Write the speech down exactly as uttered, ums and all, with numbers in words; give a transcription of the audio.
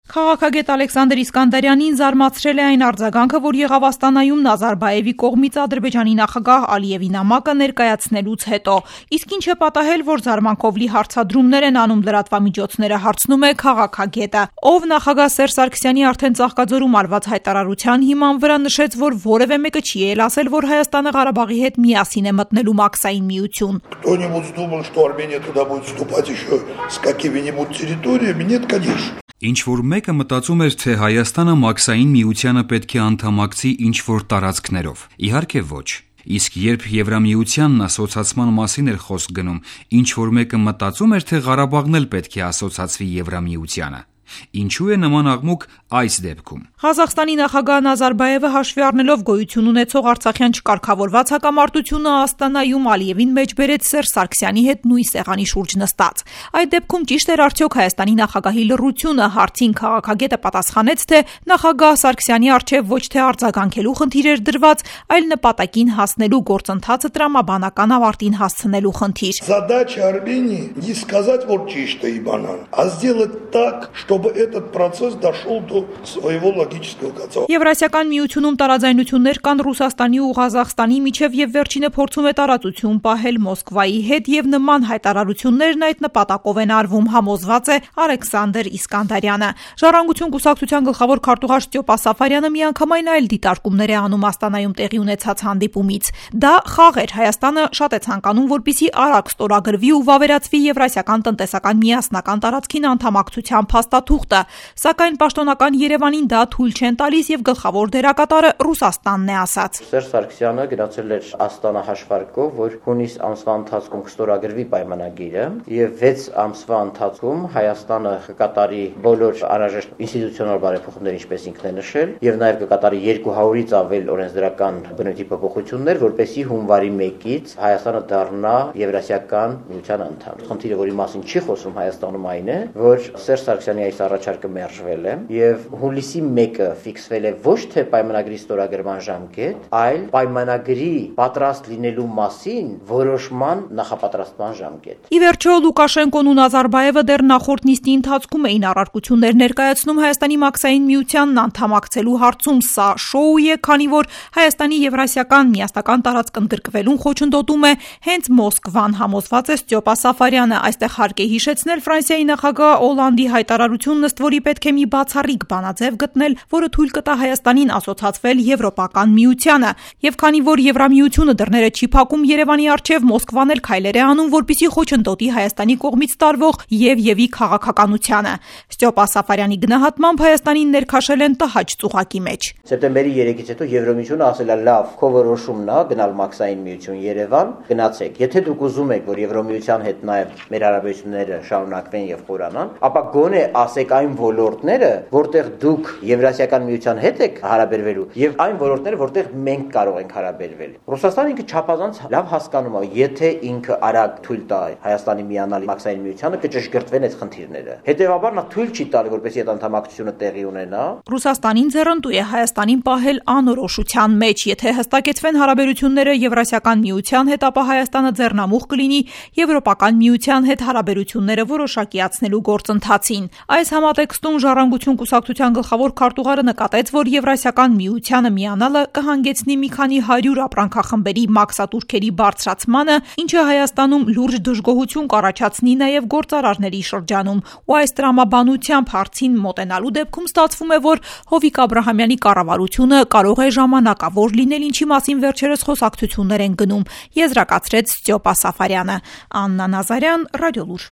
Քաղաքագետ Ալեքսանդր Իսկանդարյանին զարմացրել է այն արձագանքը, որ եղավ Աստանայում Նազարբայևի կողմից Ադրբեջանի նախագահ Ալիևի նամակը ներկայացնելուց հետո։ Իսկ ինչ է պատահել, որ զարմանքով լի հարցադրումներ են անում լրատվամիջոցները, հարցնում է քաղաքագետը, ով նախագահ Սերժ Սարգսյանի արդեն Ծաղկաձորում արված հայտարարության հիման վրա նշեց, որ որևէ մեկը չի ել ասել, որ Հայաստանը Ղարաբաղի հետ միասին է մտնելու Մաքսային միություն։ Кто-нибудь думал, что Армения туда будет вступать еще с какими-нибудь территориями? Нет, конечно. Ինչ-որ մեկը մտածում էր, թե Հայաստանը Մաքսային միությանը պետք է անդամակցի ինչ-որ տարածքներով։ Իհարկե ոչ։ Իսկ երբ Եվրամիությանն ասոցացման մասին էր խոսք գնում, ինչ-որ մեկը մտածում էր, թե Ղարաբաղն էլ պետք է ասոցացվի Եվրամիությանը։ Ինչու է նման աղմուկ այս դեպքում։ Ղազախստանի նախագահ Նազարբայևը հաշվի առնելով գոյություն ունեցող Արցախյան չկարգավորված հակամարտությունը Աստանայում Ալիևին մեջ բերեց Սերժ Սարգսյանի հետ նույն սեղանի շուրջ նստած։ Այդ դեպքում ճիշտ էր արդյոք Հայաստանի նախագահի լռությունը, հարցին քաղաքագետը պատասխանեց, թե նախագահ Սարգսյանի առջև ոչ թե արձագանքելու խնդիր էր դրված, այլ նպատակին հասնելու գործընթացը տրամաբանական ավարտին հասցնելու խնդիր։ Задача Армении не сказать вот чисто и банально, а сделать так, чтобы этот процесс дошел до своего логического конца. Եվրասիական միությունում տարաձայնություններ կան Ռուսաստանի ու Ղազախստանի միջև եւ վերջինը փորձում է տարածություն պահել Մոսկվայի հետ եւ նման հայտարարություններն այդ նպատակով են արվում, համոզված է Ալեքսանդր Իսկանդարյանը։ Ժառանգություն կուսակցության գլխավոր քարտուղար Ստյոպա Սաֆարյանը միանգամայն այլ դիտարկումներ է անում Աստանայում տեղի ունեցած հանդիպումից։ Դա խաղ էր, Հայաստանը շատ է ցանկանում, որպեսզի արագ ստորագրվի ու վավերացվի Եվրասիական տնտեսական միասնական տարածքին անդամակցության փաստաթուղթը, սակայն պաշտոնական Երևանին դա թույլ չեն տալիս եւ գլխավոր դերակատարը Ռուսաստանն է ասած։ Սերժ Սարգսյանը գնացել էր Աստանա հաշվարկով, որ հունիս ամսվա ընթացքում կստորագրվի պայմանագիրը եւ վեց ամսվա ընթացքում Հայաստանը կկատարի բոլոր անհրաժեշտ ինստիտուցիոնալ բարեփոխումներ, ինչպես ինքն է նշել, եւ նաեւ կկատարի երկու հարյուրից ավել օրենսդրական բնույթի փոփոխություններ, որպեսզի հունվարի մեկից Հայաստանը դառնա Եվրասիական միության անդամ։ Խնդիրը, որի մասին չի խոսում Հայաստանում, այն է, որ Սերժ Սարգսյանի այս առաջարկը մերժվել է եւ հուլիսի մեկը ֆիքսվել է ոչ թե պայմանագրի ստորագրման ժամկետ, այլ պայմանագրի պատրաստ լինելու մասին որոշման նախապատրաստման ժամկետ։ Ի վերջո Լուկաշենկոն ու Նազարբայևը դեռ նախորդ նիստի ընթացքում էին առարկություններ ներկայացնում Հայաստանի Մաքսային միությանն անդամակցելու հարցում։ Սա շոու է, քանի որ Հայաստանի Եվրասիական միասնական տարածք ընդգրկվելուն խոչընդոտում է հենց Մոսկվան, համոզված է Ստյոպա Սաֆարյանը։ Այստեղ հարկ է հիշեցնել Ֆրանսիայի նախագահ Օլանդի հայտարարությունն, ըստ որի պետք է մի բացառիկ բանաձև գտնել, որը թույլ կտա Հայաստանին ասոցացվել Եվրոպական միությանը։ Եվ քանի որ Եվրամիությունը դռները չի փակում Երևանի առջև, Մոսկվան էլ քայլեր է անում, որպեսզի խոչընդոտի Հայաստանի կողմից տարվող եւ-եւի քաղաքականությանը։ Ստյոպա Սաֆարյանի գնահատմամբ Հայաստանին ներքաշել են տհաճ ծուղակի մեջ։ Սեպտեմբերի երեքից հետո Եվրամիությունը ասել է լավ, քո որոշումն է գնալ Մաքսային միություն Երևան, գնացեք։ Եթե դուք ուզում եք, որ Եվրամիության հետ նաեւ մեր հարաբերությունները շարունակվեն եւ խորանան, ապա գոնե ասեք այն ոլորտները, որտեղ դուք Եվրասիական միության հետ եք հարաբերվելու եւ այն ոլորտները, որտեղ մենք կարող ենք հարաբերվել։ Ռուսաստանը ինքը չափազանց լավ հասկանում է, եթե ինքը արագ թույլ տա Հայաստանի միանալ Մաքսային միությանը, կճշգրտվեն այդ խնդիրները։ Հետևաբար նա թույլ չի տալի, որպեսզի այդ անդամակցությունը տեղի ունենա։ Ռուսաստանին ձեռնտու է Հայաստանին պահել անորոշության մեջ, եթե հստակեցվեն հարաբերությունները Եվրասիական միության հետ, ապա Հայաստանը ձեռնամուխ կլինի Եվրոպական միության հետ հարաբերությունները որոշակիացնելու գործընթացին։ Այս համատեքստում Ժառանգություն կուսակցության գլխավոր քարտուղարը նկատեց, որ Եվրասիական միությանը միանալը կհանգեցնի մի քանի հարյուր ապրանքախմբերի մաքսատուրքերի բարձրացմանը, ինչը Հայաստանում լուրջ դժգոհություն կառաջացնի նաև գործարարների շրջանում։ Ու այս տրամաբանությամբ հարցին մոտենալու դեպքում ստացվում է, որ Հովիկ Աբրահամյանի կառավարությունը կարող է ժամանակավոր լինել, ինչի մասին վերջերս խոսակցություններ են գնում, եզրակացրեց Ստյոպա Սաֆարյանը։ Աննա Նազարյան, Ռադիոլուր։